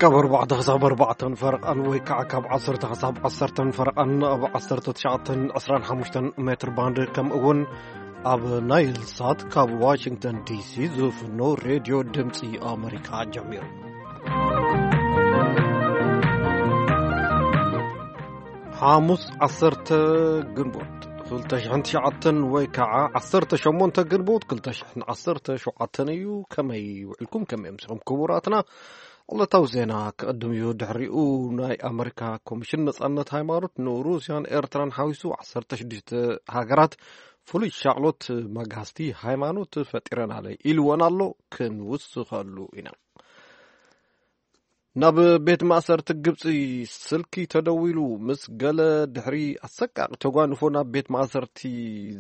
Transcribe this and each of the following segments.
ካብ ኣርባዕተ ክሳብ ኣርባዕተን ፈረቓን ወይ ከዓ ካብ ዓሰርተ ክሳብ ዓሰርተን ፈረቓን ኣብ ዓሰርተ ትሽዓተን ዕስራን ሓሙሽተን ሜትር ባንድ፣ ከምኡ እውን ኣብ ናይል ሳት ካብ ዋሽንግተን ዲሲ ዝፍኖ ሬድዮ ድምፂ ኣመሪካ ጀሚሩ። ሓሙስ ዓሰርተ ግንቦት ክልተ ሽሕን ትሽዓተን ወይ ከዓ ዓሰርተ ሸሞንተ ግንቦት ክልተ ሽሕን ዓሰርተ ሸውዓተን እዩ። ከመይ ውዕልኩም? ከመይ ኣምሲኹም ክቡራትና? ዕለታዊ ዜና ክቕድም እዩ። ድሕሪኡ ናይ ኣመሪካ ኮሚሽን ነጻነት ሃይማኖት ንሩስያን ኤርትራን ሓዊሱ ዓሰርተ ሽዱሽተ ሃገራት ፍሉይ ሻቕሎት መጋስቲ ሃይማኖት ፈጢረናለ ኢልወን ኣሎ። ክንውስኸሉ ኢና። ናብ ቤት ማእሰርቲ ግብፂ ስልኪ ተደዊሉ ምስ ገለ ድሕሪ ኣሰቃቂ ተጓንፎ ናብ ቤት ማእሰርቲ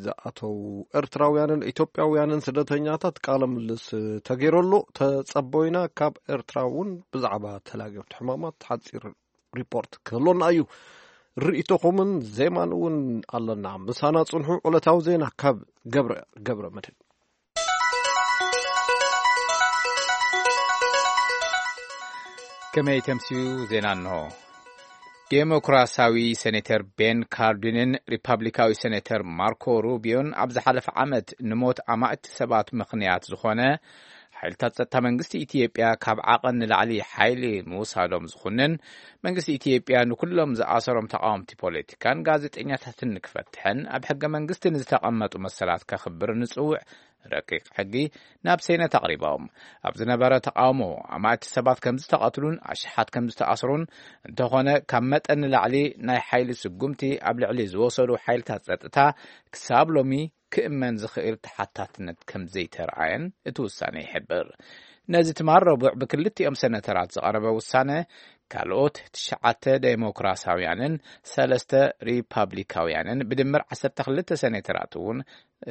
ዝኣተው ኤርትራውያንን ኢትዮጵያውያንን ስደተኛታት ቃለ ምልልስ ተገይረሉ። ተጸቦይና ካብ ኤርትራ እውን ብዛዕባ ተላገብቲ ሕማማት ሓጺር ሪፖርት ክህሎና እዩ። ርእይቶኹምን ዜማን እውን ኣለና። ምሳና ጽንሑ። ዕለታዊ ዜና ካብ ገብረ፣ ገብረ መድህን። ከመይ ተምስዩ ዜና እንሆ። ዴሞክራሲያዊ ሴኔተር ቤን ካርዲንን ሪፓብሊካዊ ሴኔተር ማርኮ ሩቢዮን ኣብ ዝሓለፈ ዓመት ንሞት ኣማእቲ ሰባት ምኽንያት ዝኾነ ሓይልታት ጸጥታ መንግስቲ ኢትዮጵያ ካብ ዓቐን ንላዕሊ ሓይሊ ምውሳዶም ዝኹንን፣ መንግስቲ ኢትዮጵያ ንኩሎም ዝኣሰሮም ተቃወምቲ ፖለቲካን ጋዜጠኛታትን ንክፈትሕን ኣብ ሕገ መንግስቲ ንዝተቐመጡ መሰላት ከኽብር ንጽውዕ ረቂቕ ሕጊ ናብ ሴነት ኣቕሪቦም። ኣብ ዝነበረ ተቃውሞ ኣማእቲ ሰባት ከም ዝተቐትሉን ኣሽሓት ከም ዝተኣስሩን፣ እንተኾነ ካብ መጠን ንላዕሊ ናይ ሓይሊ ስጉምቲ ኣብ ልዕሊ ዝወሰዱ ሓይልታት ጸጥታ ክሳብ ሎሚ ክእመን ዝኽእል ተሓታትነት ከም ዘይተረኣየን እቲ ውሳነ ይሕብር። ነዚ ትማል ረቡዕ ብክልቲኦም ሴነተራት ዝቐረበ ውሳነ፣ ካልኦት ትሽዓተ ዴሞክራሲያውያንን ሰለስተ ሪፓብሊካውያንን ብድምር ዓሰርተ ክልተ ሴኔተራት እውን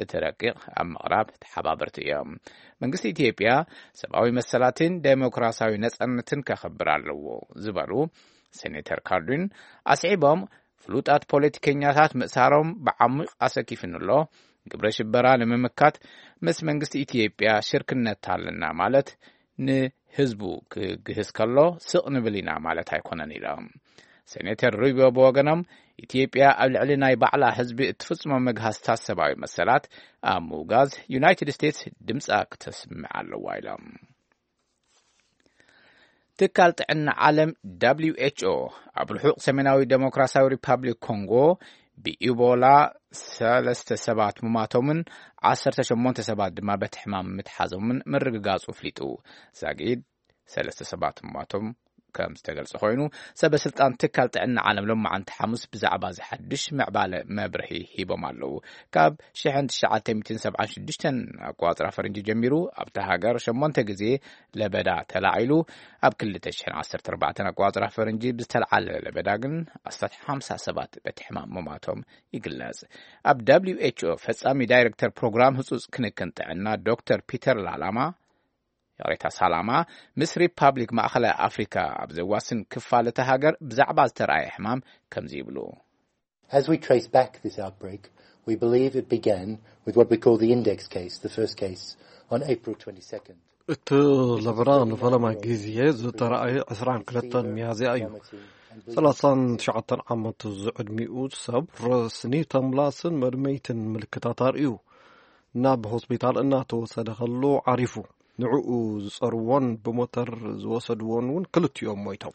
እቲ ረቂቕ ኣብ ምቕራብ ተሓባበርቲ እዮም። መንግስቲ ኢትዮጵያ ሰብኣዊ መሰላትን ዴሞክራሲያዊ ነጻነትን ከኽብር ኣለዎ ዝበሉ ሴኔተር ካርዲን ኣስዒቦም፣ ፍሉጣት ፖለቲከኛታት ምእሳሮም ብዓሚቕ ኣሰኪፉኒ ኣሎ። ግብረ ሽበራ ንምምካት ምስ መንግስቲ ኢትዮጵያ ሽርክነት ኣለና ማለት ንህዝቡ ክግህስ ከሎ ስቕ ንብል ኢና ማለት ኣይኮነን ኢሎም። ሴኔተር ሩቢዮ ብወገኖም፣ ኢትዮጵያ ኣብ ልዕሊ ናይ ባዕላ ህዝቢ እትፍጽሞ መግሃስታት ሰብኣዊ መሰላት ኣብ ምውጋዝ ዩናይትድ ስቴትስ ድምጻ ክተስምዕ ኣለዋ ኢሎም። ትካል ጥዕና ዓለም ደብሊው ኤች ኦ ኣብ ርሑቕ ሰሜናዊ ዴሞክራሲያዊ ሪፓብሊክ ኮንጎ ብኢቦላ ሰለስተ ሰባት ምማቶምን ዓሰርተ ሸሞንተ ሰባት ድማ በቲ ሕማም ምትሓዞምን ምርግጋጹ ኣፍሊጡ። ዛጊድ ሰለስተ ሰባት ምማቶም ከም ዝተገልጸ ኮይኑ፣ ሰበ ስልጣን ትካል ጥዕና ዓለም ሎማዓንቲ ሓሙስ ብዛዕባ እዚ ሓድሽ ምዕባለ መብርሂ ሂቦም ኣለዉ። ካብ ሽሕን ትሽዓተ ሚእትን ሰብዓን ሽዱሽተን ኣቋጽራ ፈረንጂ ጀሚሩ ኣብታ ሃገር ሸሞንተ ግዜ ለበዳ ተላዒሉ፣ ኣብ ክልተ ሽሕን ዓሰርተ ኣርባዕተን ኣቋጽራ ፈረንጂ ብዝተልዓለ ለበዳ ግን ኣስታት ሓምሳ ሰባት በቲ ሕማም ምማቶም ይግለጽ። ኣብ ደብሊው ኤች ኦ ፈጻሚ ዳይሬክተር ፕሮግራም ህጹጽ ክንክን ጥዕና ዶክተር ፒተር ላላማ፣ ይቕሬታ፣ ሳላማ፣ ምስ ሪፓብሊክ ማእኸላይ ኣፍሪካ ኣብ ዘዋስን ክፋል እታ ሃገር ብዛዕባ ዝተረኣየ ሕማም ከምዚ ይብሉ። As we trace back this outbreak, we believe it began with what we call the index case, the first case, on April twenty-second. እቲ ለበዳ ንፈለማ ግዜ ዝተረኣየ ዕስራን ክልተን ሚያዝያ እዩ። ሰላሳን ትሽዓተን ዓመት ዝዕድሚኡ ሰብ ረስኒ ተምላስን መድመይትን ምልክታት ኣርእዩ ናብ ሆስፒታል እናተወሰደ ከሎ ዓሪፉ። ንዕኡ ዝጸርዎን ብሞተር ዝወሰድዎን እውን ክልቲኦም ሞይቶም።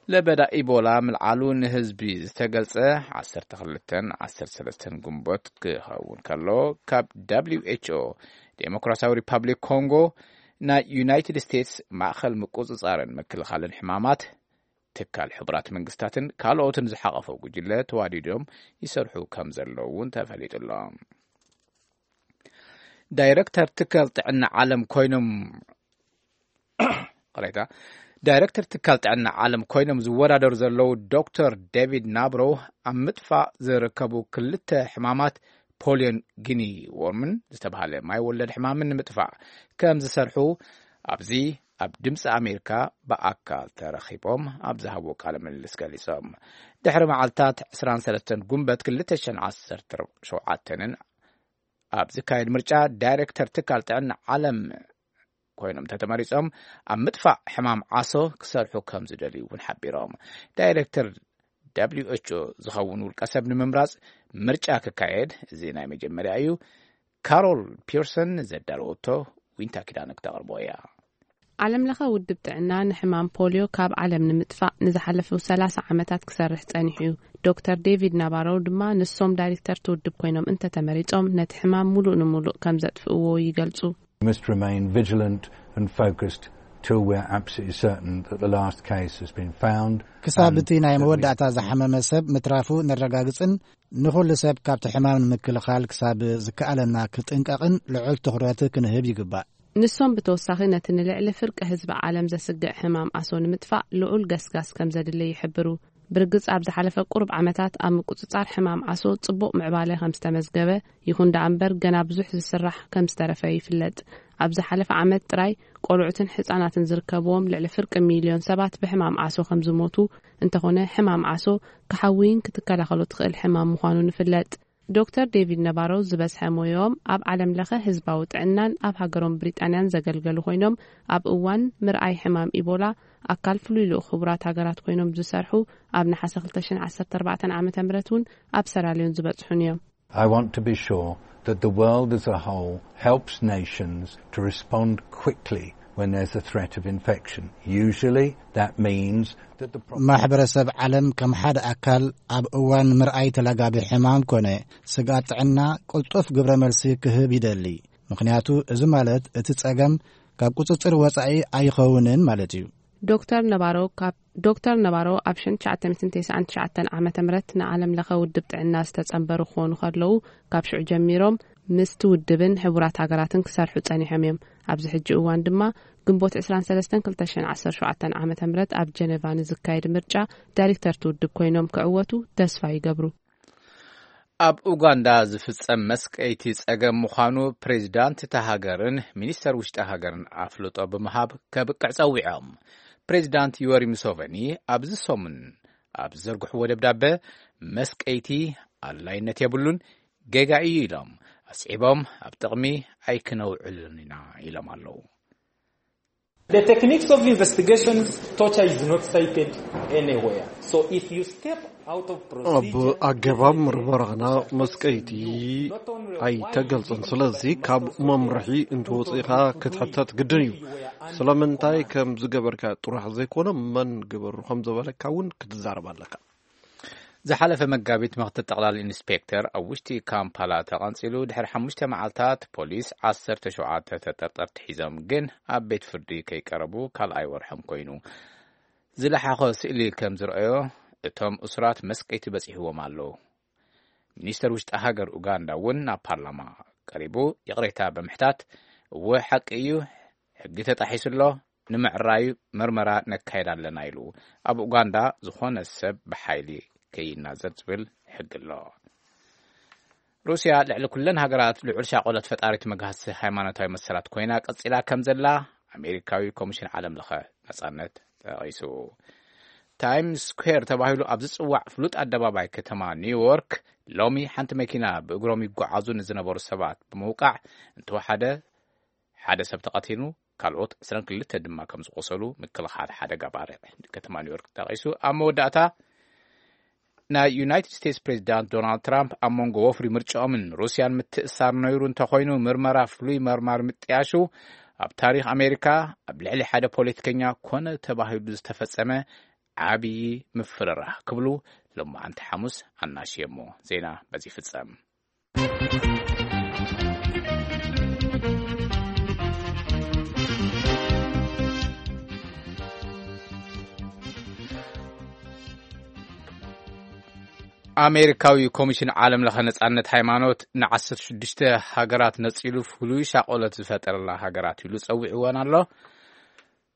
ለበዳ ኢቦላ ምልዓሉ ንህዝቢ ዝተገልጸ ዓሰርተ ክልተን ዓሰርተ ሰለስተን ግንቦት ክኸውን ከሎ፣ ካብ ደብሊው ኤች ኦ ዴሞክራሲያዊ ሪፓብሊክ ኮንጎ፣ ናይ ዩናይትድ ስቴትስ ማእኸል ምቁጽጻርን ምክልኻልን ሕማማት፣ ትካል ሕቡራት መንግስታትን ካልኦትን ዝሓቐፈ ጉጅለ ተዋዲዶም ይሰርሑ ከም ዘለዉ እውን ተፈሊጡ ኣሎ። ዳይሬክተር ትካል ጥዕና ዓለም ኮይኖም፣ ቅሬታ፣ ዳይሬክተር ትካል ጥዕና ዓለም ኮይኖም ዝወዳደሩ ዘለዉ ዶክተር ዴቪድ ናብሮ፣ ኣብ ምጥፋእ ዝርከቡ ክልተ ሕማማት ፖሊዮን ጊኒ ዎርምን ዝተባህለ ማይ ወለድ ሕማምን ንምጥፋእ ከም ዝሰርሑ ኣብዚ ኣብ ድምፂ ኣሜሪካ ብኣካል ተረኺቦም ኣብ ዝሃብዎ ቃለ ምልልስ ገሊጾም። ድሕሪ መዓልታት ዕስራን ሰለስተን ጉንበት ክልተ ሽሕን ዓሰርተ ሸውዓተን ኣብ ዝካየድ ምርጫ፣ ዳይሬክተር ትካል ጥዕና ዓለም ኮይኖም እንተተመሪጾም፣ ኣብ ምጥፋእ ሕማም ዓሶ ክሰርሑ ከም ዝደልዩ እውን ሓቢሮም። ዳይሬክተር ደብሊው ኤች ኦ ዝኸውን ውልቀ ሰብ ንምምራጽ ምርጫ ክካየድ እዚ ናይ መጀመርያ እዩ። ካሮል ፒርሰን ዘዳለወቶ ዊንታ ኪዳነ ክተቕርቦ እያ። ዓለም ለኸ ውድብ ጥዕና ንሕማም ፖሊዮ ካብ ዓለም ንምጥፋእ ንዝሓለፉ ሰላሳ ዓመታት ክሰርሕ ጸኒሑ እዩ። ዶክተር ዴቪድ ናባሮ ድማ ንሶም ዳይሬክተር እቲ ውድብ ኮይኖም እንተተመሪጾም ነቲ ሕማም ሙሉእ ንሙሉእ ከም ዘጥፍእዎ ይገልጹ። We must remain vigilant and focused till we're absolutely certain that the last case has been found. ክሳብ እቲ ናይ መወዳእታ ዝሓመመ ሰብ ምትራፉ ነረጋግጽን ንኹሉ ሰብ ካብቲ ሕማም ንምክልኻል ክሳብ ዝከኣለና ክጥንቀቕን ልዑል ትኹረት ክንህብ ይግባእ። ንሶም ብተወሳኺ ነቲ ንልዕሊ ፍርቂ ህዝቢ ዓለም ዘስግእ ሕማም ኣሶ ንምጥፋእ ልዑል ገስጋስ ከም ዘድሊ ይሕብሩ። ብርግጽ ኣብ ዝሓለፈ ቁሩብ ዓመታት ኣብ ምቁጽጻር ሕማም ዓሶ ጽቡቕ ምዕባለ ከም ዝተመዝገበ፣ ይኹን ደኣ እምበር ገና ብዙሕ ዝስራሕ ከም ዝተረፈ ይፍለጥ። ኣብ ዝሓለፈ ዓመት ጥራይ ቆልዑትን ሕጻናትን ዝርከብዎም ልዕሊ ፍርቂ ሚልዮን ሰባት ብሕማም ዓሶ ከም ዝሞቱ፣ እንተኾነ ሕማም ዓሶ ክሓውይን ክትከላኸሎ ትኽእል ሕማም ምዃኑ ንፍለጥ። ዶክተር ዴቪድ ነባሮ ዝበዝሐ ሞያኦም ኣብ ዓለም ለኸ ህዝባዊ ጥዕናን ኣብ ሃገሮም ብሪጣንያን ዘገልገሉ ኮይኖም፣ ኣብ እዋን ምርኣይ ሕማም ኢቦላ ኣካል ፍሉይ ልኡኽ ሕቡራት ሃገራት ኮይኖም ዝሰርሑ፣ ኣብ ነሓሰ ክልተ ሽሕን ዓሰርተ ኣርባዕተን ዓመተ ምህረት እውን ኣብ ሰራልዮን ዝበጽሑን እዮም። I want to be sure that the world as a whole helps nations to respond quickly when there's a threat of infection. Usually that means that the problem ማሕበረሰብ ዓለም ከም ሓደ ኣካል ኣብ እዋን ምርኣይ ተላጋቢ ሕማም ኮነ ስግኣት ጥዕና ቅልጡፍ ግብረ መልሲ ክህብ ይደሊ። ምኽንያቱ እዚ ማለት እቲ ጸገም ካብ ቁጽጽር ወጻኢ ኣይኸውንን ማለት እዩ። ዶክተር ነባሮ ካብ ዶክተር ነባሮ ኣብ ሽሕን ትሽዓተ ሚእትን ተስዓን ትሽዓተን ዓመተ ምህረት ንዓለም ለኸ ውድብ ጥዕና ዝተጸንበሩ ክኾኑ ከለዉ፣ ካብ ሽዑ ጀሚሮም ምስቲ ውድብን ሕቡራት ሃገራትን ክሰርሑ ጸኒሖም እዮም። ኣብዚ ሕጂ እዋን ድማ ግንቦት ዕስራን ሰለስተን ክልተ ሽሕን ዓሰርተ ሸውዓተን ዓመተ ምህረት ኣብ ጀነቫ ንዝካየድ ምርጫ ዳይሬክተር እቲ ውድብ ኮይኖም ክዕወቱ ተስፋ ይገብሩ። ኣብ ኡጋንዳ ዝፍጸም መስቀይቲ ጸገም ምዃኑ ፕሬዚዳንት እታ ሃገርን ሚኒስተር ውሽጢ ሃገርን ኣፍልጦ ብምሃብ ከብቅዕ ጸዊዖም። ፕሬዚዳንት ዮወሪ ሙሶቨኒ ኣብዚ ሰሙን ኣብ ዝዘርግሕዎ ደብዳበ፣ መስቀይቲ ኣድላይነት የብሉን፣ ጌጋ እዩ ኢሎም ኣስዒቦም፣ ኣብ ጥቕሚ ኣይክነውዕሉን ኢና ኢሎም ኣለዉ። The techniques of investigations, torture is not cited anywhere. So if you step out of ኣብ procedure, ኣገባብ ምርመራና መስቀይቲ ኣይተገልጽን። ስለዚ ካብ መምርሒ እንትወጽእኻ ክትሕተት ግድን እዩ። ስለምንታይ ከም ዝገበርካ ጥራሕ ዘይኮነ መን ግበሩ ከም ዝበለካ እውን ክትዛረብ ኣለካ። ዝሓለፈ መጋቢት ምኽትል ጠቕላሊ ኢንስፔክተር ኣብ ውሽጢ ካምፓላ ተቐንጺሉ። ድሕሪ ሓሙሽተ መዓልታት ፖሊስ ዓሰርተ ሸውዓተ ተጠርጠርቲ ሒዞም ግን ኣብ ቤት ፍርዲ ከይቀረቡ ካልኣይ ወርሖም ኮይኑ። ዝለሓኾ ስእሊ ከም ዝረኣዮ እቶም እሱራት መስቀይቲ በጺሕዎም ኣለዉ። ሚኒስተር ውሽጢ ሃገር ኡጋንዳ እውን ናብ ፓርላማ ቀሪቡ ይቕሬታ ብምሕታት፣ እወ ሓቂ እዩ፣ ሕጊ ተጣሒሱ ኣሎ፣ ንምዕራዩ መርመራ ነካየድ ኣለና ኢሉ። ኣብ ኡጋንዳ ዝኾነ ሰብ ብሓይሊ ከይናዘር ዝብል ሕጊ ኣሎ። ሩስያ ልዕሊ ኩለን ሃገራት ልዑል ሻቆለት ፈጣሪት መግሃሲ ሃይማኖታዊ መሰላት ኮይና ቀጺላ ከም ዘላ ኣሜሪካዊ ኮሚሽን ዓለም ለኸ ነጻነት ጠቒሱ። ታይምስ ስኩዌር ተባሂሉ ኣብ ዝጽዋዕ ፍሉጥ ኣደባባይ ከተማ ኒውዮርክ ሎሚ ሓንቲ መኪና ብእግሮም ይጓዓዙ ንዝነበሩ ሰባት ብምውቃዕ እንተወሓደ ሓደ ሰብ ተቐቲሉ፣ ካልኦት ዕስራን ክልተ ድማ ከም ዝቆሰሉ ምክልኻል ሓደጋ ባርዕ ከተማ ኒውዮርክ ጠቒሱ። ኣብ መወዳእታ ናይ ዩናይትድ ስቴትስ ፕሬዚዳንት ዶናልድ ትራምፕ ኣብ መንጎ ወፍሪ ምርጫኦምን ሩስያን ምትእሳር ነይሩ እንተኾይኑ፣ ምርመራ ፍሉይ መርማሪ ምጥያሹ ኣብ ታሪኽ ኣሜሪካ ኣብ ልዕሊ ሓደ ፖለቲከኛ ኮነ ተባሂሉ ዝተፈጸመ ዓብዪ ምፍርራህ ክብሉ ሎማዓንቲ ሓሙስ ኣናሽየሞ። ዜና በዚ ይፍጸም። ኣሜሪካዊ ኮሚሽን ዓለም ለኸ ነጻነት ሃይማኖት ንዓሰርተ ሽዱሽተ ሃገራት ነጺሉ ፍሉይ ሻቆለት ዝፈጠረላ ሃገራት ኢሉ ጸዊዕወን ኣሎ።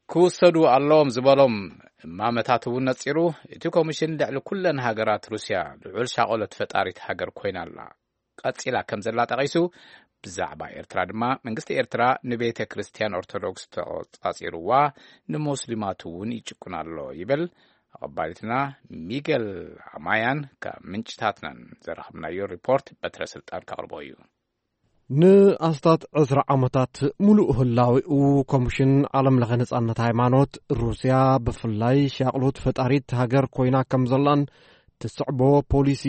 ክውሰዱ ኣለዎም ዝበሎም እማመታት እውን ነጺሩ። እቲ ኮሚሽን ልዕሊ ኩለን ሃገራት ሩስያ ልዑል ሻቆለት ፈጣሪት ሃገር ኮይና ኣላ፣ ቀጺላ ከም ዘላ ጠቒሱ፣ ብዛዕባ ኤርትራ ድማ መንግስቲ ኤርትራ ንቤተ ክርስቲያን ኦርቶዶክስ ተቆጻጺርዋ፣ ንሞስሊማት እውን ይጭቁን ኣሎ ይብል። ኣቐባሊትና ሚገል ኣማያን ካብ ምንጭታትናን ዘረኸብናዮ ሪፖርት በትረ ስልጣን ከቕርቦ እዩ። ንኣስታት ዕስራ ዓመታት ምሉእ ህላዌኡ ኮሚሽን ዓለም ለኸ ነጻነት ሃይማኖት ሩስያ፣ ብፍላይ ሻቕሎት ፈጣሪት ሃገር ኮይና ከም ዘላን ትስዕቦ ፖሊሲ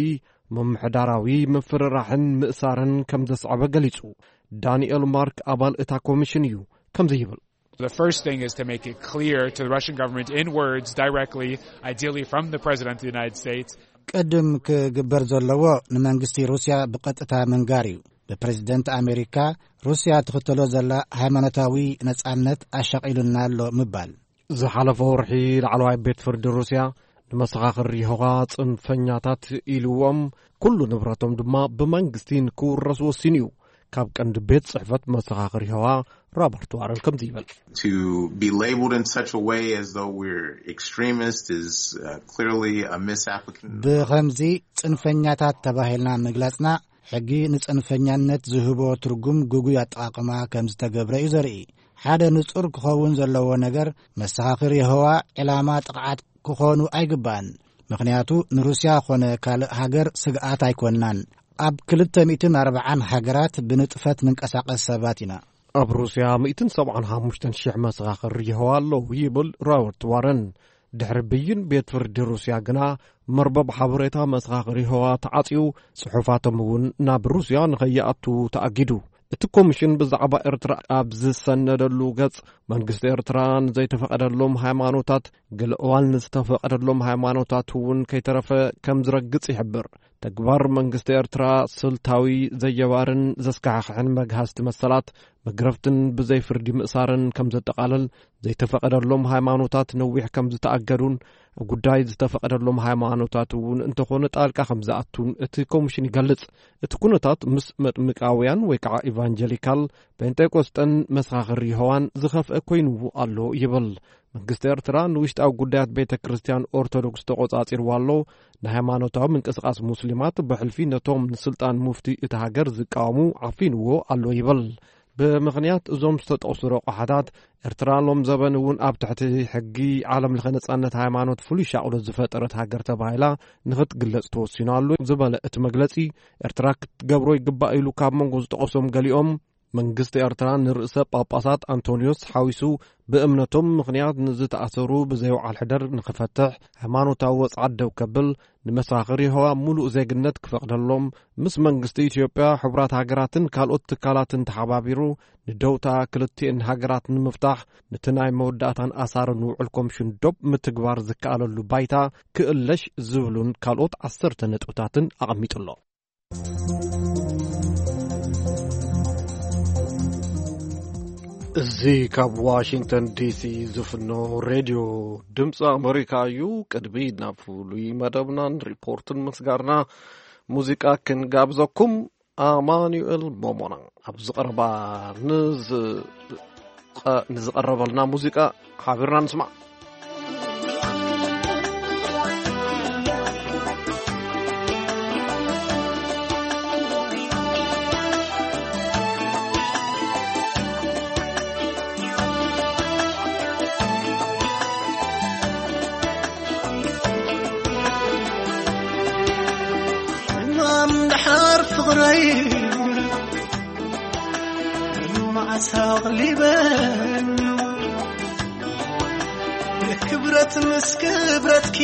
ምምሕዳራዊ ምፍርራሕን ምእሳርን ከም ዘስዓበ ገሊጹ። ዳንኤል ማርክ ኣባል እታ ኮሚሽን እዩ፣ ከምዚ ይብል። The first thing is to make it clear to the Russian government in words directly, ideally from the President of the United States. ቅድም ክግበር ዘለዎ ንመንግስቲ ሩስያ ብቐጥታ ምንጋር እዩ። ብፕሬዝደንት ኣሜሪካ፣ ሩስያ ትኽተሎ ዘላ ሃይማኖታዊ ነጻነት ኣሻቒሉና ኣሎ ምባል። ዝሓለፈ ወርሒ ላዕለዋይ ቤት ፍርዲ ሩስያ ንመሰኻኽር የሆዋ ጽንፈኛታት ኢልዎም፣ ኩሉ ንብረቶም ድማ ብመንግስቲ ንክውረስ ወሲኑ እዩ። ካብ ቀንዲ ቤት ጽሕፈት መሰኻኽር የሆዋ ሮበርት ዋረን ከምዚ ይብል። To be labeled in such a way as though we're extremists is uh, clearly a misapplication. ብኸምዚ ጽንፈኛታት ተባሂልና ምግላጽና፣ ሕጊ ንጽንፈኛነት ዝህቦ ትርጉም ግጉይ ኣጠቓቕማ ከም ዝተገብረ እዩ ዘርኢ። ሓደ ንጹር ክኸውን ዘለዎ ነገር፣ መሰኻኽር የሆዋ ዕላማ ጥቕዓት ክኾኑ ኣይግባእን። ምኽንያቱ ንሩስያ ኾነ ካልእ ሃገር ስግኣት ኣይኮንናን። ኣብ ክልተ ሚእትን ኣርባዓን ሃገራት ብንጥፈት ንንቀሳቐስ ሰባት ኢና። ኣብ ሩስያ ሚእትን ሰብዓን ሓሙሽተን ሽሕ መሰኻኽር የሆዋ ኣለዉ ይብል ሮበርት ዋረን። ድሕሪ ብይን ቤት ፍርዲ ሩስያ ግና፣ መርበብ ሓበሬታ መሰኻኽር የሆዋ ተዓጽዩ፣ ጽሑፋቶም እውን ናብ ሩስያ ንኸይኣቱ ተኣጊዱ። እቲ ኮሚሽን ብዛዕባ ኤርትራ ኣብ ዝሰነደሉ ገጽ፣ መንግስቲ ኤርትራ ንዘይተፈቐደሎም ሃይማኖታት፣ ገለ እዋን ንዝተፈቐደሎም ሃይማኖታት እውን ከይተረፈ ከም ዝረግጽ ይሕብር። ተግባር መንግስቲ ኤርትራ ስልታዊ፣ ዘየባርን ዘስካሕክሕን መግሃስቲ መሰላት፣ መግረፍትን ብዘይ ፍርዲ ምእሳርን ከም ዘጠቓልል፣ ዘይተፈቐደሎም ሃይማኖታት ነዊሕ ከም ዝተኣገዱን፣ ኣብ ጉዳይ ዝተፈቐደሎም ሃይማኖታት እውን እንተኾነ ጣልቃ ከም ዝኣቱን እቲ ኮሚሽን ይገልጽ። እቲ ኩነታት ምስ መጥምቃውያን ወይ ከዓ ኢቫንጀሊካል፣ ጴንጤቆስጠን መሰኻኽር የሆዋን ዝኸፍአ ኮይኑ ኣሎ ይብል። መንግስቲ ኤርትራ ንውሽጣዊ ጉዳያት ቤተ ክርስቲያን ኦርቶዶክስ ተቖጻጺርዋ ኣሎ። ንሃይማኖታዊ ምንቅስቓስ ሙስሊማት ብሕልፊ ነቶም ንስልጣን ሙፍቲ እቲ ሃገር ዝቃወሙ ዓፊንዎ ኣሎ ይብል። ብምኽንያት እዞም ዝተጠቕሱ ረቑሓታት፣ ኤርትራ ሎም ዘበን እውን ኣብ ትሕቲ ሕጊ ዓለም ለኸ ነጻነት ሃይማኖት ፍሉይ ሻቕሎት ዝፈጠረት ሃገር ተባሂላ ንኽትግለጽ ተወሲኑ ኣሎ ዝበለ እቲ መግለጺ፣ ኤርትራ ክትገብሮ ይግባእ ኢሉ ካብ መንጎ ዝጠቐሶም ገሊኦም፣ መንግስቲ ኤርትራ ንርእሰ ጳጳሳት ኣንቶንዮስ ሓዊሱ ብእምነቶም ምኽንያት ንዝተኣሰሩ ብዘይ ወዓል ሕደር ንኽፈትሕ፣ ሃይማኖታዊ ወጽዓት ደው ከብል፣ ንመሰኻኽር የሆዋ ምሉእ ዜግነት ክፈቕደሎም፣ ምስ መንግስቲ ኢትዮጵያ፣ ሕቡራት ሃገራትን ካልኦት ትካላትን ተሓባቢሩ ንደውታ ክልቲኤን ሃገራት ንምፍታሕ፣ ነቲ ናይ መወዳእታን ኣሳርን ውዕል ኮምሽን ዶብ ምትግባር ዝከኣለሉ ባይታ ክእለሽ ዝብሉን ካልኦት ዓሰርተ ነጥብታትን ኣቐሚጡ ኣሎ። እዚ ካብ ዋሽንግተን ዲሲ ዝፍኖ ሬድዮ ድምፂ ኣመሪካ እዩ። ቅድሚ ናብ ፍሉይ መደብናን ሪፖርትን ምስጋርና፣ ሙዚቃ ክንጋብዘኩም። ኣማኑኤል ሞሞና ኣብ ዝቐረባ ንዝ-፣ ቐ-፣ ንዝቐረበልና ሙዚቃ ሓቢርና ንስማዕ። ሕማም ድሓር ፍቕረይ መዓስ ኣቕሊበን ክብረት ምስ ክብረትኪ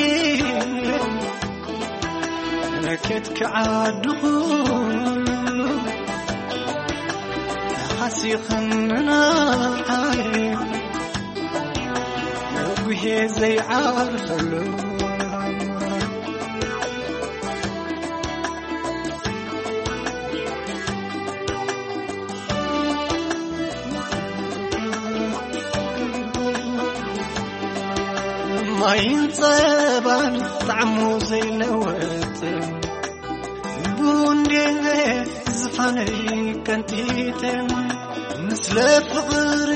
ነኬት ክዓድኹ ተኻሲኽንናዓይ ጉሄ ዘይዓርፈሉ ማይን ጸባን ጣዕሙ ዘይለወጥ ቡንዴ ዝፋነይ ቀንጢተ ምስለ ፍቕሪ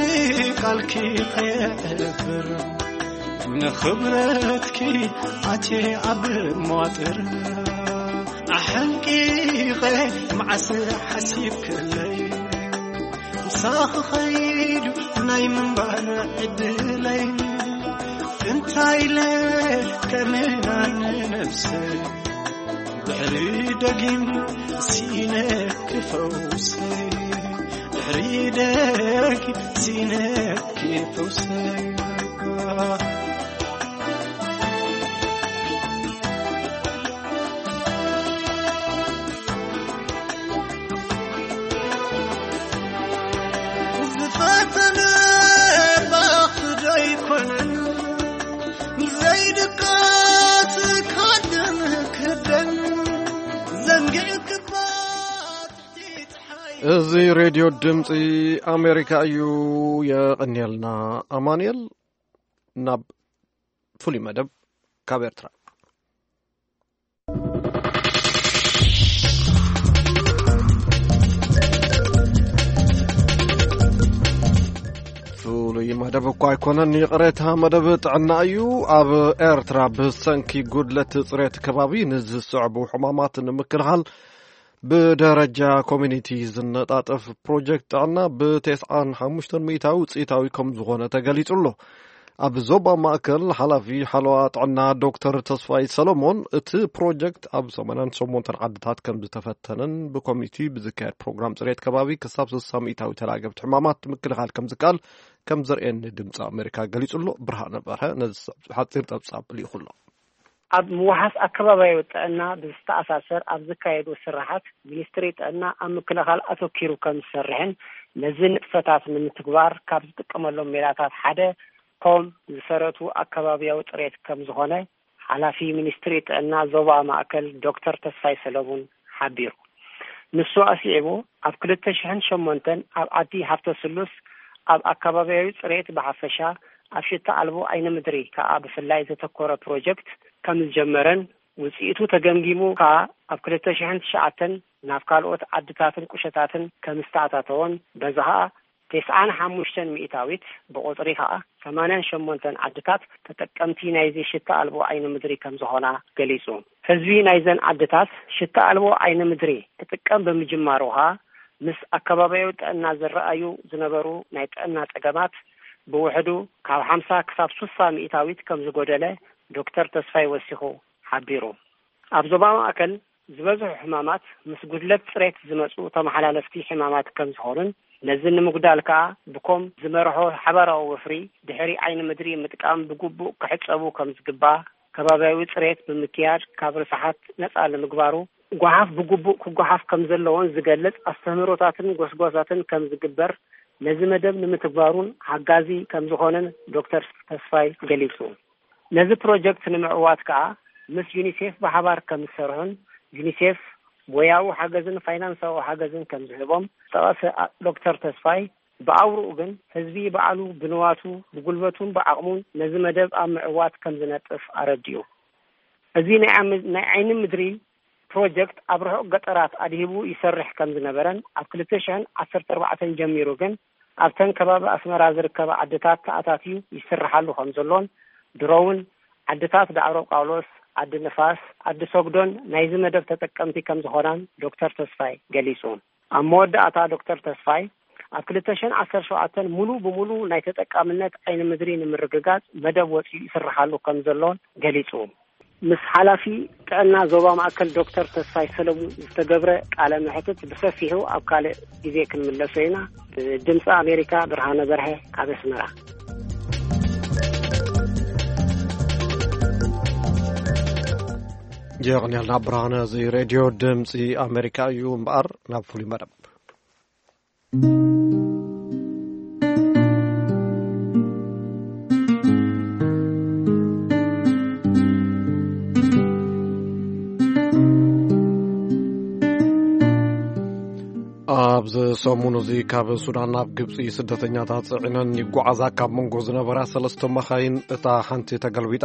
ቃልኪ ኸየዕብር ንኽብረትኪ ኣቴ ኣብ መዋጥር ኣሐንቂቐ መዓስ ሓሲብክለይ ምሳኺ ኸይዱ ናይ ምንባር ዕድለይ እንታይ ኢለ ከመና ንነብሰይ ድሕሪ ደጊም ሲነኪ ፈውሰይ፣ ድሕሪ ደጊም ሲነኪ ፈውሰይ። ዝፈተነ ባኽ ዶ ኣይኮነን ዘይድቀስ ካደን ክደን ዘንጊዕክባት። እዚ ሬድዮ ድምፂ ኣሜሪካ እዩ። የቐንየልና ኣማንኤል። ናብ ፍሉይ መደብ ካብ ኤርትራ። ፍሉይ መደብ እኳ ኣይኮነን፣ ይቕሬታ፣ መደብ ጥዕና እዩ። ኣብ ኤርትራ ብሰንኪ ጉድለት ጽሬት ከባቢ ንዝስዕቡ ሕማማት ንምክልኻል ብደረጃ ኮሚኒቲ ዝነጣጠፍ ፕሮጀክት ጥዕና ብ95% ውፅኢታዊ ከም ዝኾነ ተገሊጹ ኣሎ። ኣብ ዞባ ማእከል ሓላፊ ሓለዋ ጥዕና ዶክተር ተስፋይ ሰሎሞን፣ እቲ ፕሮጀክት ኣብ ሰማንያን ሸሞንተን ዓድታት ከም ዝተፈተነን ብኮሚኒቲ ብዝካየድ ፕሮግራም ጽሬት ከባቢ ክሳብ ስሳ ሚእታዊ ተላገብቲ ሕማማት ምክልኻል ከም ዝከኣል ከም ዘርእየኒ ድምፂ ኣሜሪካ ገሊጹ ኣሎ። ብርሃነ በርሀ ነዚ ሓፂር ጸብጻብ ልኢኹ ኣሎ። ኣብ ምውሓስ ኣከባቢያዊ ጥዕና ብዝተኣሳሰር ኣብ ዝካየዱ ስራሓት፣ ሚኒስትሪ ጥዕና ኣብ ምክልኻል ኣተኪሩ ከም ዝሰርሕን ነዚ ንጥፈታት ንምትግባር ካብ ዝጥቀመሎም ሜላታት ሓደ ኮም ዝሰረቱ ኣከባቢያዊ ጽሬት ከም ዝኾነ ሓላፊ ሚኒስትሪ ጥዕና ዞባ ማእከል ዶክተር ተስፋይ ሰለሙን ሓቢሩ። ንሱ ኣስዒቡ፣ ኣብ ክልተ ሽሕን ሸሞንተን ኣብ ዓዲ ሃብተ ስሉስ ኣብ ኣከባቢያዊ ጽሬት ብሓፈሻ፣ ኣብ ሽታ ኣልቦ ዓይኒ ምድሪ ከኣ ብፍላይ ዘተኮረ ፕሮጀክት ከም ዝጀመረን፣ ውጽኢቱ ተገምጊሙ ከኣ ኣብ ክልተ ሽሕን ትሽዓተን ናብ ካልኦት ዓድታትን ቁሸታትን ከም ዝተኣታተወን፣ በዚ ከኣ ተስዓን ሓሙሽተን ሚእታዊት ብቑጽሪ ከኣ ሰማንያን ሸሞንተን ዓድታት ተጠቀምቲ ናይዚ ሽታ ኣልቦ ዓይኒ ምድሪ ከም ዝኾና ገሊጹ። ህዝቢ ናይዘን ዓድታት ሽታ ኣልቦ ዓይኒ ምድሪ ክጥቀም ብምጅማሩ ከኣ፣ ምስ ኣከባቢያዊ ጥዕና ዝረኣዩ ዝነበሩ ናይ ጥዕና ጸገማት ብውሕዱ ካብ ሓምሳ ክሳብ ሱሳ ሚእታዊት ከም ዝጎደለ ዶክተር ተስፋይ ወሲኹ ሓቢሩ። ኣብ ዞባ ማእከል ዝበዝሑ ሕማማት ምስ ጉድለት ጽሬት ዝመጹ ተመሓላለፍቲ ሕማማት ከም ዝኾኑን፣ ነዚ ንምጉዳል ከኣ ብኮም ዝመርሖ ሓባራዊ ወፍሪ ድሕሪ ዓይኒ ምድሪ ምጥቃም ብግቡእ ክሕጸቡ ከም ዝግባእ፣ ከባቢያዊ ጽሬት ብምክያድ ካብ ርስሓት ነጻ ንምግባሩ፣ ጓሓፍ ብግቡእ ክጓሓፍ ከም ዘለዎን ዝገልጽ ኣስተምህሮታትን ጎስጓሳትን ከም ዝግበር፣ ነዚ መደብ ንምትግባሩን ሓጋዚ ከም ዝኾነን ዶክተር ተስፋይ ገሊጹ። ነዚ ፕሮጀክት ንምዕዋት ከኣ ምስ ዩኒሴፍ ብሓባር ከም ዝሰርሑን፣ ዩኒሴፍ ሞያዊ ሓገዝን ፋይናንሳዊ ሓገዝን ከም ዝህቦም ዝጠቐሰ ዶክተር ተስፋይ፣ ብኣውርኡ ግን ህዝቢ ባዕሉ ብንዋቱ፣ ብጉልበቱን ብዓቕሙን ነዚ መደብ ኣብ ምዕዋት ከም ዝነጥፍ ኣረዲኡ። እዚ ናይ ዓም-፣ ናይ ዓይኒ ምድሪ ፕሮጀክት ኣብ ርሑቕ ገጠራት ኣድሂቡ ይሰርሕ ከም ዝነበረን፣ ኣብ ክልተ ሽሕን ዓሰርተ ኣርባዕተን ጀሚሩ ግን ኣብተን ከባቢ ኣስመራ ዝርከባ ዓድታት ተኣታትዩ ይስርሓሉ ከም ዘሎን፣ ድሮ እውን ዓድታት ዳዕሮ ጳውሎስ፣ ዓዲ ንፋስ፣ ዓዲ ሰጉዶን ናይዚ መደብ ተጠቀምቲ ከም ዝኾናን ዶክተር ተስፋይ ገሊጹ። ኣብ መወዳእታ ዶክተር ተስፋይ፣ ኣብ ክልተ ሽሕን ዓሰርተ ሸውዓተን ሙሉ ብሙሉ ናይ ተጠቃምነት ዓይኒ ምድሪ ንምርግጋጽ መደብ ወጺኡ ይስርሓሉ ከም ዘሎን ገሊጹ። ምስ ሓላፊ ጥዕና ዞባ ማእከል ዶክተር ተስፋይ ሰለሙን ዝተገብረ ቃለ መሕትት ብሰፊሑ ኣብ ካልእ ግዜ ክንምለሶ ኢና። ድምፂ ኣሜሪካ፣ ብርሃነ በርሀ ካብ ኣስመራ። የቕንየልና ብርሃነ። እዚ ሬድዮ ድምፂ ኣሜሪካ እዩ እምበኣር፣ ናብ ፍሉይ መደብ። ኣብዚ ሰሙን እዚ ካብ ሱዳን ናብ ግብፂ ስደተኛታት ፅዒነን ይጓዓዛ ካብ መንጎ ዝነበራ ሰለስተ መኻይን እታ ሓንቲ ተገልቢጣ፣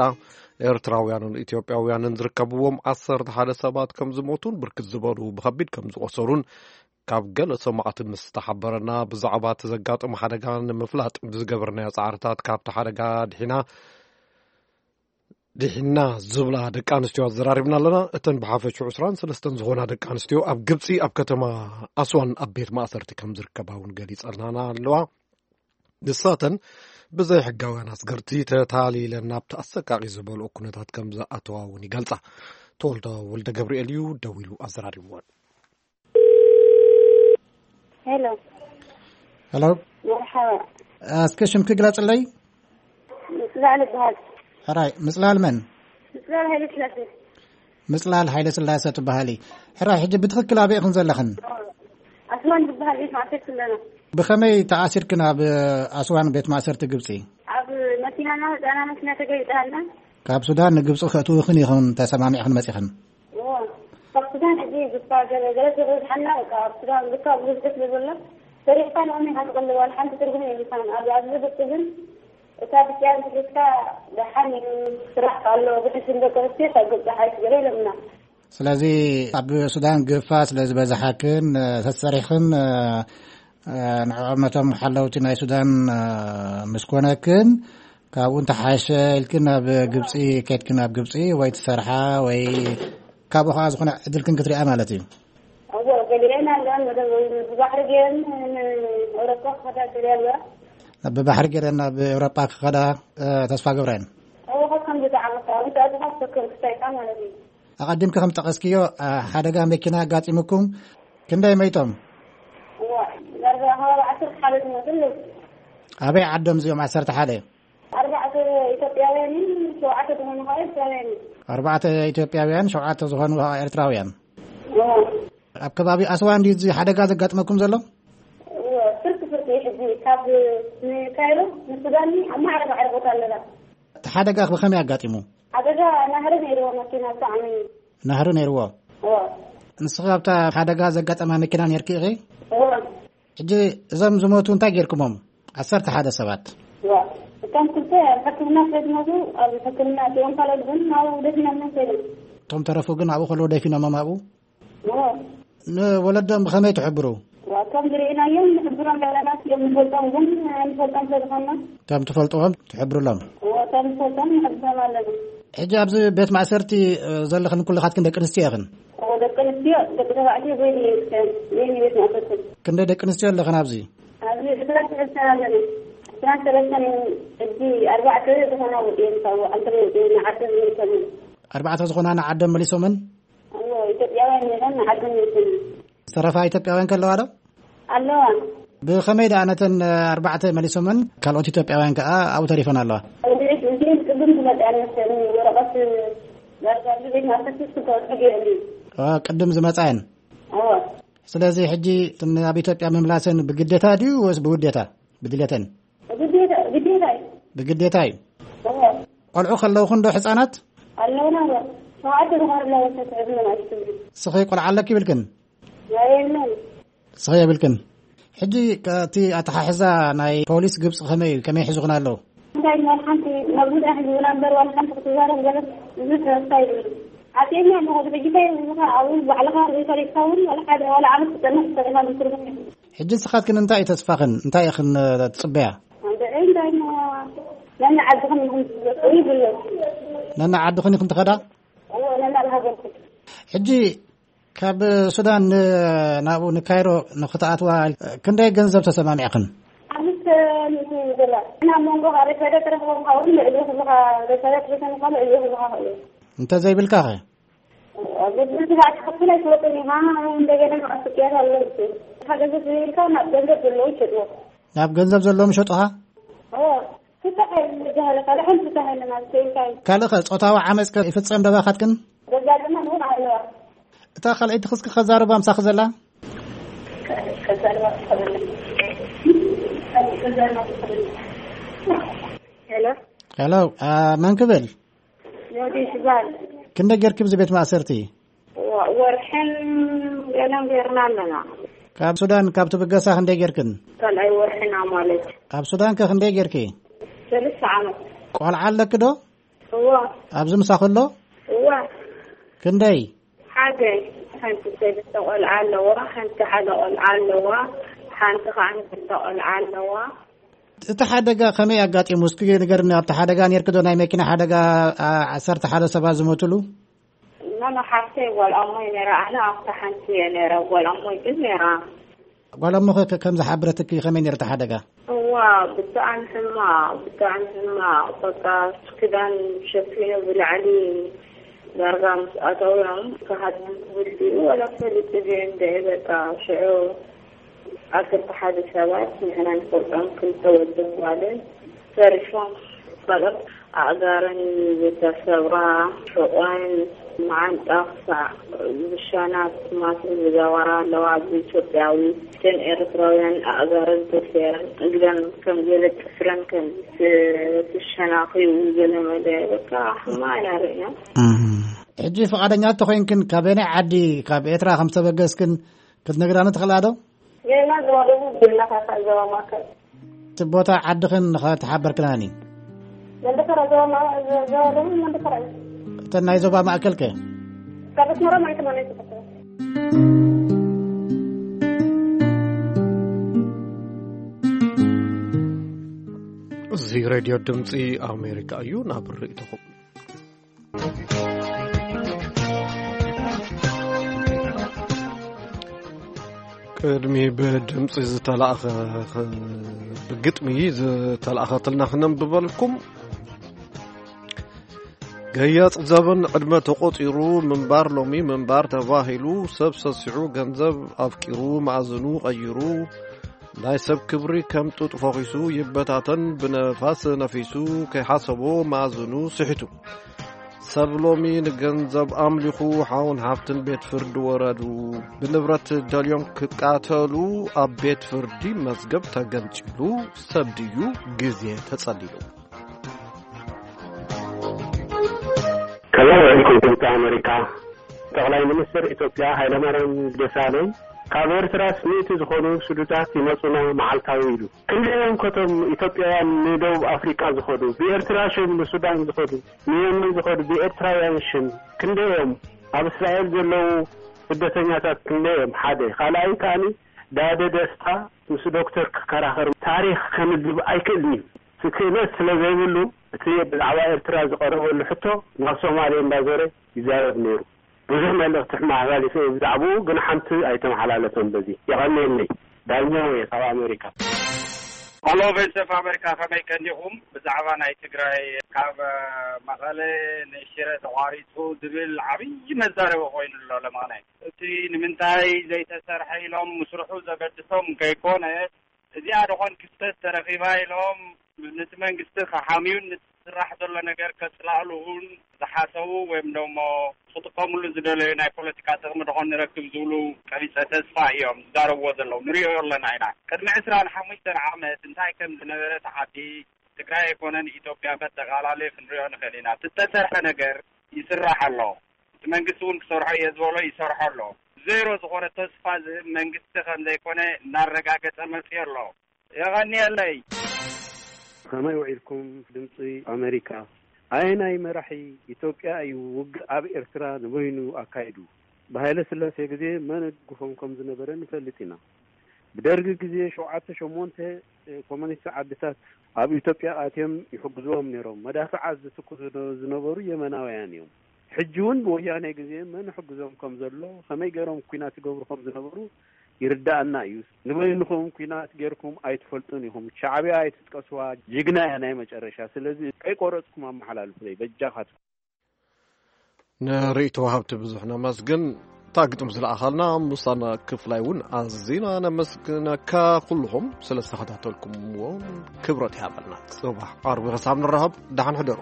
ኤርትራውያንን ኢትዮጵያውያንን ዝርከብዎም ዓሰርተ ሓደ ሰባት ከም ዝሞቱን ብርክት ዝበሉ ብኸቢድ ከም ዝቖሰሉን ካብ ገለ ሰማዕቲ ምስ ተሓበረና፣ ብዛዕባ እቲ ዘጋጠመ ሓደጋ ንምፍላጥ ብዝገበርናዮ ጻዕርታት ካብቲ ሓደጋ ድሒና ድሒና ዝብላ ደቂ ኣንስትዮ ኣዘራሪብና ኣለና። እተን ብሓፈሽኡ ዕስራን ሰለስተን ዝኾና ደቂ ኣንስትዮ ኣብ ግብጺ ኣብ ከተማ ኣስዋን ኣብ ቤት ማእሰርቲ ከም ዝርከባ እውን ገሊጸልናና ኣለዋ። ንሳተን ብዘይ ሕጋውያን ኣስገርቲ ተታሊለን ናብቲ ኣሰቃቂ ዝበልኦ ኩነታት ከም ዝኣተዋ እውን ይገልጻ። ተወልደ ወልደ ገብርኤል እዩ ደዊሉ ኣዘራሪብዎ። ሄሎ። ሄሎ። መርሓባ። እስከ ሽምኪ ግለጽለይ። ምጽላል ይበሃል። ሕራይ፣ ምጽላል መን? ምጽላል ሃይለ ስላሴ። ምጽላል ሃይለ ስላሴ ትበሃሊ። ሕራይ፣ ሕጂ ብትኽክል ኣበይ ኢኽን ዘለኽን? ኣስዋን ዝበሃል ቤት ማእሰርቲ ኣለና። ብኸመይ ተኣሲርክን ኣብ ኣስዋን ቤት ማእሰርቲ ግብጺ? ኣብ መኪናና፣ ህፃና መኪና ተገሊጣልና። ካብ ሱዳን ንግብጺ ከእትውኽን ኢኽን ተሰማሚዕኽን መጺኽን? እዎ። ካብ ሱዳን ሕጂ ግፋ ገለ፣ ገለ ተበዝሓና፣ በቃ ኣብ ሱዳን ግፋ ብዙሕ ስለ ዘሎ፣ ሰሪሕካ ንቕድሚት ኢኻ ትቕልብ፣ ዋላ ሓንቲ ትርጉም የብልካን። ኣብ፣ ኣብዚ ግብጺ ግን እታ ብጭያን ትሒዝካ ደሓን እዩ፣ ስራሕ ኣሎ፣ ብሕሽም ደቂ ኣንስትዮ ካብ ግብጺ ሓይሽ ገለ ኢሎምና። ስለዚ ኣብ ሱዳን ግፋ ስለ ዝበዝሓክን፣ ተሰሪሕኽን፣ ንዕኦም ነቶም ሓለውቲ ናይ ሱዳን ምስ ኮነክን፣ ካብኡ እንተሓሸ ኢልክን ናብ ግብጺ ከድክን፣ ኣብ ግብጺ ወይ ትሰርሓ ወይ ካብኡ ከኣ ዝኾነ ዕድልክን ክትሪኣ ማለት እዩ። እዎ፣ ገሊአን ኣለዋን መደብ ብባሕሪ ገይረን ንኤውሮጳ ክኸዳ ገሊአ ኣለዋ። ብባሕሪ ገይረን ናብ ኤውሮጳ ክኸዳ፣ እ፣ ተስፋ ገብረን። እዎ፣ ካብ ከምዚ ዝዓመት ዓመት ኣድኻ ትፈክር ክሳይካ ማለት እዩ። ኣቐዲምኪ ከም ጠቐስክዮ፣ እ፣ ሓደጋ መኪና ኣጋጢሙኩም ክንደይ መይቶም? እዎ፣ ዳርጋ ከባቢ ዓሰርተ ሓደ ዝመስል። ኣበይ ዓዶም እዚኦም ዓሰርተ ሓደ? ኣርባዕተ ኢትዮጵያውያንን ሸውዓተ ዝኾኑ ከዓ ኤርትራውያን እዮም። ኣርባዕተ ኢትዮጵያውያን፣ ሸውዓተ ዝኾኑ ከዓ ኤርትራውያን። እዎ። ኣብ ከባቢ ኣስዋን ድዩ እዚ ሓደጋ ዘጋጥመኩም ዘሎ? እዎ፣ ፍርቂ ፍርቂ እዩ ሕጂ። ካብ ንካይሮ ንሱዳን ኣብ ማዕረ ማዕረ ቦታ ኣለና። እቲ ሓደጋ ብኸመይ ኣጋጢሙ? ሓደጋ ናህሪ ነይርዎ፣ መኪና ብጣዕሚ። ናህሪ ነይርዎ? እዎ። ንስኺ ኣብታ ሓደጋ ዘጋጠማ መኪና ነይርኪ ኢኺ? እዎ። ሕጂ እዞም ዝሞቱ እንታይ ጌርኩሞም? ዓሰርተ ሓደ ሰባት። እዋ፣ እቶም ክልተ ኣብ ሕክምና ስለ ዝሞቱ፣ ኣብ ሕክምና እቲኦም፣ ካልኦት ግን ናብኡ ደፊኖሞም ከይዶም። እቶም ተረፉ ግን ኣብኡ ከለዉ ደፊኖሞም ኣብኡ? እዎ። ንወለዶም ብኸመይ ትሕብሩ? እዋ፣ እቶም ዝርኢናዮም ንሕብሮም ዘለና፣ እቲኦም ንፈልጦም ግን ኣይንፈልጦም ስለ ዝኾንና። እቶም ትፈልጥዎም ትሕብሩሎም? እዎ፣ እቶም ንፈልጦም ንሕብሮም ኣለና። ሕጂ ኣብዚ ቤት ማእሰርቲ፣ እ፣ ዘለኽን ኩልኻትክን ደቂ ኣንስትዮ ኢኽን? እዎ፣ ደቂ ኣንስትዮ፣ ደቂ ተባዕትዮ በይኑ እዩ፣ በይኑ ቤት ማእሰርቲ። ክንደይ ደቂ ኣንስትዮ ኣለኽን ኣብዚ? ኣብዚ ዕስራን ሰለስተን ኣለና። ዕስራን ሰለስተን ሕጂ ኣርባዕተ ዝኾና ወፂኤን ካብ ዓዲ ወፂኤን ንዓደን መሊሶመን። ኣርባዕተ ዝኾና ንዓደን መሊሶመን? እዎ፣ ኢትዮጵያውያን ነይረን ንዓደን መሊሶመን። ዝተረፋ ኢትዮጵያውያን ከለዋ ዶ? ኣለዋ። ብኸመይ ደኣ ነተን ኣርባዕተ መሊሶመን ካልኦት ኢትዮጵያውያን ከኣ ኣብኡ ተሪፈን ኣለዋ? እዚኤን ቅድም ዝመፅኣን መሰለኒ፣ ወረቐት ዳርጋ ኣብዚ ቤት ማእሰርቲ ክልተ ወርሒ ገይሩ እዩ። ኦ፣ ቅድም ዝመፅኣን? እዎ። ስለዚ ሕጂ እተን ኣብ ኢትዮጵያ ምምላሰን ብግዴታ ድዩ ወይስ ብውዴታ? ብድሌተን? ግዴታ፣ ግዴታ እዩ። ብግዴታ እዩ። እዎ። ቆልዑ ከለውኹን ዶ ሕፃናት? ኣለውና እዎ። ሸውዓተ ዝኾኑ ኣለዉ፣ ተትሕዝና ማለት እዩ። ንስኺ ቆልዓ ኣለኪ ይብልክን? ናይ የለን። ንስኺ የብልክን። ሕጂ ከ-፣ እቲ ኣተሓሕዛ ናይ ፖሊስ ግብፂ ከመይ እዩ? ከመይ ሒዙኽን ኣለዉ? እንታይ ዋላ ሓንቲ መግቢ ዳሕ ዝብላ እምበር ዋላ ሓንቲ ክትዛረብ ገለ ብዙሕ ተስፋ የብሉን። ኣትየኛ ኣለኹ፣ ብሕጂ እንታይ እዩ፣ እዚ ኸኣ ኣብኡ ባዕልኻ ሪኢኻ ሪኢኻ እውን ዋላ ሓደ ዋላ ዓመት ክጸንሕ ትኽእል ኢኻ ብትርጉም። ሕጂ ንስኻትክን እንታይ እዩ ተስፋኽን? እንታይ ኢኽን፣ እ፣ ትጽበያ? ኣንተ እንታይ ሞ፣ ነና ዓድኽን ኢኹም ትብሎ ይብሎ። ነና ዓድኽን ኢኹም ትኸዳ? እዎ፣ ነና ሃገርኩም። ሕጂ ካብ ሱዳን ን-፣ ናብኡ ንካይሮ ንኽትኣትዋ ክንደይ ገንዘብ ተሰማሚዕኽን? ኣምስተ ሚእቲ ዶላር። ናብ መንጎ ሬሳዳ ተረኽቦም፣ ካብኡ ልዕሊ ኩልኻ ሬሳዳ ተረኽቦም፣ ልዕሊ ኩልኻ ኸእሉ። እንተ ዘይብልካ ኸ? ኣብ ግድን ስጋዕ ክኸፍል ኣይትወጥን ኢኻ፣ እንደገና ከዓ ስቅያት ኣሎ። እታ ገንዘብ ዘይብልካ ናብ ገንዘብ ዘለዎ ይሸጥዎ። ናብ ገንዘብ ዘለዎም ይሸጡኻ? እዎ፣ ፍታሕ የለን ዝበሃለ ካልእ ሓንቲ ፍታሕ የለን ኣብ ኢትዮጵያ። ካልእ ኸ ጾታዊ ዓመጽ ከ ይፍጸም ዶ ባኻትክን? ዘጋጥመን እውን ኣለዋ። እታ ካልኣይቲ ክስኪ ከዛርባ ምሳኺ ዘላ? ከዛርባ ትኽእል። ሄሎ። ሄሎ፣ አ፣ መን ክብል? ዮዲት ይበሃል። ክንደይ ጌርኪ ብዚ ቤት ማእሰርቲ? ወ-፣ ወርሕን ገለን ጌርና ኣለና። ካብ ሱዳን ካብ ትብገሳ ክንደይ ጌርክን? ካልኣይ ወርሕና ማለት። ኣብ ሱዳን ከ ክንደይ ጌርኪ? ሰለስተ ዓመት። ቆልዓ ኣለኪ ዶ? እዋ። ኣብዚ ምሳኺ ኣሎ? እዋ። ክንደይ? ሓደ። ሓንቲ ሰለስተ ቆልዓ ኣለዋ፣ ሓንቲ ሓደ ቆልዓ ኣለዋ፣ ሓንቲ ከዓ ክልተ ቆልዓ ኣለዋ። እቲ ሓደጋ ከመይ ኣጋጢሙ? እስኪ ንገርኒ። ኣብቲ ሓደጋ ኔርኪ ዶ? ናይ መኪና ሓደጋ፣ ዓ-፣ ዓሰርተ ሓደ ሰባት ዝሞትሉ? ኖ፣ ኖ፣ ሓፍተይ ጓል ኣሞይ ነይራ። ኣነ ኣብታ ሓንቲ እየ ነይረ። ጓል ኣሞይ ግን ነይራ። ጓል ኣሞኺ ከ-፣ ከም ዝሓበረትኪ ከመይ ነይሩ እቲ ሓደጋ? እዋ፣ ብጣዕሚ ሕማቕ፣ ብጣዕሚ ሕማቕ። በቃ ክዳን ሸፊኑ ብላዕሊ ዳርጋ ምስ ኣተውዮም፣ ክሃድሙ ክብል ድዩ ወላ ፈሊጡ ድዩ እንደ በቃ ሽዑ ዓሰርተ ሓደ ሰባት፣ ንሕና ንፈልጦም ክልተ ወድን ጓልን ተሪፎም። ካልኦት ኣእጋረን ዝተሰብራ፣ ሕቖን መዓንጣ ክሳዕ ብሻናት ማስን ዝገበራ ኣለዋ። ኣብዚ ኢትዮጵያዊ፣ እተን ኤርትራውያን ኣእጋረን ተሰይረን፣ እግረን ከም ገለ ጥፍረን ከም ዝተሸናኺቡ፣ ገለ መለ በቃ ሕማቕ ኢና ርኢና። ሕጂ ፍቓደኛ እንተኾይንክን፣ ካበየናይ ዓዲ ካብ ኤርትራ ከም ዝተበገስክን ክትነግራኒ ትኽእላ ዶ? ጌና ዞባ ደቡብ፣ ጌና ካካ ዞባ ማእከል። እቲ ቦታ ዓድኽን ንኸተሓበርክናኒ። መንደፈራ ዞባ ማ-፣ ዞ-፣ ዞባ ደቡብ መንደፈራ እዩ። እተን ናይ ዞባ ማእከል ከ? ካብ ኣስመራ ማይ ተማንያ ተፈተነ። እዚ ሬድዮ ድምፂ ኣሜሪካ እዩ። ናብ ርእይቶኹም። ቅድሚ ብድምፂ ዝተላእኸ፣ ብግጥሚ ዝተላእኸትልና ክነንብበልኩም። ገያፅ ዘበን ዕድመ ተቖፂሩ፣ ምንባር ሎሚ ምንባር ተባሂሉ፣ ሰብ ሰሲዑ ገንዘብ ኣፍቂሩ፣ መኣዝኑ ቀይሩ፣ ናይ ሰብ ክብሪ ከም ጡጥ ፈኺሱ ይበታተን፣ ብነፋስ ነፊሱ ከይሓሰቦ መኣዝኑ ስሒቱ። ሰብ ሎሚ ንገንዘብ ኣምሊኹ፣ ሓውን ሓፍትን ቤት ፍርዲ ወረዱ። ብንብረት ደልዮም ክቃተሉ፣ ኣብ ቤት ፍርዲ መዝገብ ተገንጺሉ። ሰብ ድዩ ግዜ ተጸሊሉ? ከመይ ውዒልኩም ድምፂ ኣሜሪካ? ጠቕላይ ሚኒስትር ኢትዮጵያ ሃይለማርያም ደሳለኝ፣ ካብ ኤርትራስ ሚእቲ ዝኾኑ ስዱዳት ይመጹና መዓልታዊ ኢሉ። ክንደይ እዮም ከቶም ኢትዮጵያውያን ንደቡብ ኣፍሪቃ ዝኸዱ፣ ብኤርትራ ሽም ንሱዳን ዝኸዱ፣ ንየመን ዝኸዱ ብኤርትራውያን ሽም? ክንደይ እዮም ኣብ እስራኤል ዘለዉ ስደተኛታት? ክንደይ እዮም? ሓደ። ካልኣይ ከኣኒ ዳደ ደስታ ምስ ዶክተር ክከራኸር ታሪኽ ከንብብ ኣይክእልን እዩ። ክእለት ስለ ዘይብሉ፣ እቲ ብዛዕባ ኤርትራ ዝቐረበሉ ሕቶ ናብ ሶማሌ እንዳዞረ ይዛረብ ነይሩ። ብዙሕ መልእኽቲ ሕማሕላሊፈ ብዛዕባኡ፣ ግን ሓንቲ ኣይተመሓላለፈን። በዚ የቐንየለይ። ዳኛው እየ ካብ ኣሜሪካ። ሄሎ፣ ቮይስ ኦፍ ኣሜሪካ፣ ከመይ ቀኒኹም? ብዛዕባ ናይ ትግራይ ካብ መቐለ ንሽረ ተቋሪጹ ዝብል ዓብዪ መዛረቢ ኮይኑ ኣሎ ለማናይ። እቲ ንምንታይ ዘይተሰርሐ ኢሎም ምስርሑ ዘገድሶም ከይኮነ፣ እዚኣ ደኾን ክስተት ተረኺባ ኢሎም ነቲ መንግስቲ ክሓምዩን ነቲ ዝስራሕ ዘሎ ነገር ከጽላእልዉን ዝሓሰቡ ወይም ደሞ ክጥቀምሉ ዝደለዩ ናይ ፖለቲካ ጥቕሚ ደኾን ንረክብ ዝብሉ ቀቢጸ ተስፋ እዮም ዝዛረብዎ ዘለዉ። ንሪኦ ኣለና ኢና። ቅድሚ ዕስራን ሓሙሽተን ዓመት እንታይ ከም ዝነበረ ተዓዲ ትግራይ ኣይኮነን ኢትዮጵያ በጠቓላሊ ክንሪኦ ንኽእል ኢና። እቲ እተሰርሐ ነገር ይስራሕ ኣሎ። እቲ መንግስቲ እውን ክሰርሖ እየ ዝበሎ ይሰርሖ ኣሎ። ዜሮ ዝኾነ ተስፋ ዝህብ መንግስቲ ከም ዘይኮነ እናረጋገጸ መፅዮ ኣሎ። የቐንየለይ። ከመይ ውዒልኩም ድምፂ ኣሜሪካ? ኣየናይ መራሒ ኢትዮጵያ እዩ ውግእ ኣብ ኤርትራ ንበይኑ ኣካይዱ? ብሃይለ ስላሴ ግዜ መን ይድግፎም ከም ዝነበረ ንፈልጥ ኢና። ብደርጊ ግዜ ሸውዓተ ሸሞንተ ኮሙኒስት ዓድታት ኣብ ኢትዮጵያ ኣትዮም ይሕግዝዎም ነይሮም። መዳፍዓት ዝትኩሱ ዝነበሩ የመናውያን እዮም። ሕጂ እውን ብወያኔ ግዜ መን ይሕግዞም ከም ዘሎ፣ ከመይ ገይሮም ኲናት ይገብሩ ከም ዝነበሩ ይርዳእና እዩ። ንበይንኹም ኲናት ጌርኩም ኣይትፈልጡን ኢኹም። ሻዕብያ ኣይትጥቀስዋ፣ ጅግና እያ ናይ መጨረሻ። ስለዚ ከይቆረጽኩም ኣመሓላልፉለይ በጃኻትኩም። ንርእይቶ ወሃብቲ ብዙሕ ነመስግን። እታ ግጥም ዝለኣኻልና ሙሳና ክፍላይ እውን ኣዚና ነመስግነካ። ኩልኹም ስለ ዝተኸታተልኩምዎ ክብረት ይሃበልና። ጽባሕ ዓርቢ ክሳብ ንራኸብ ደሓን ሕደሩ።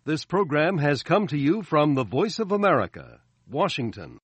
This program has come to you from the Voice of America, Washington.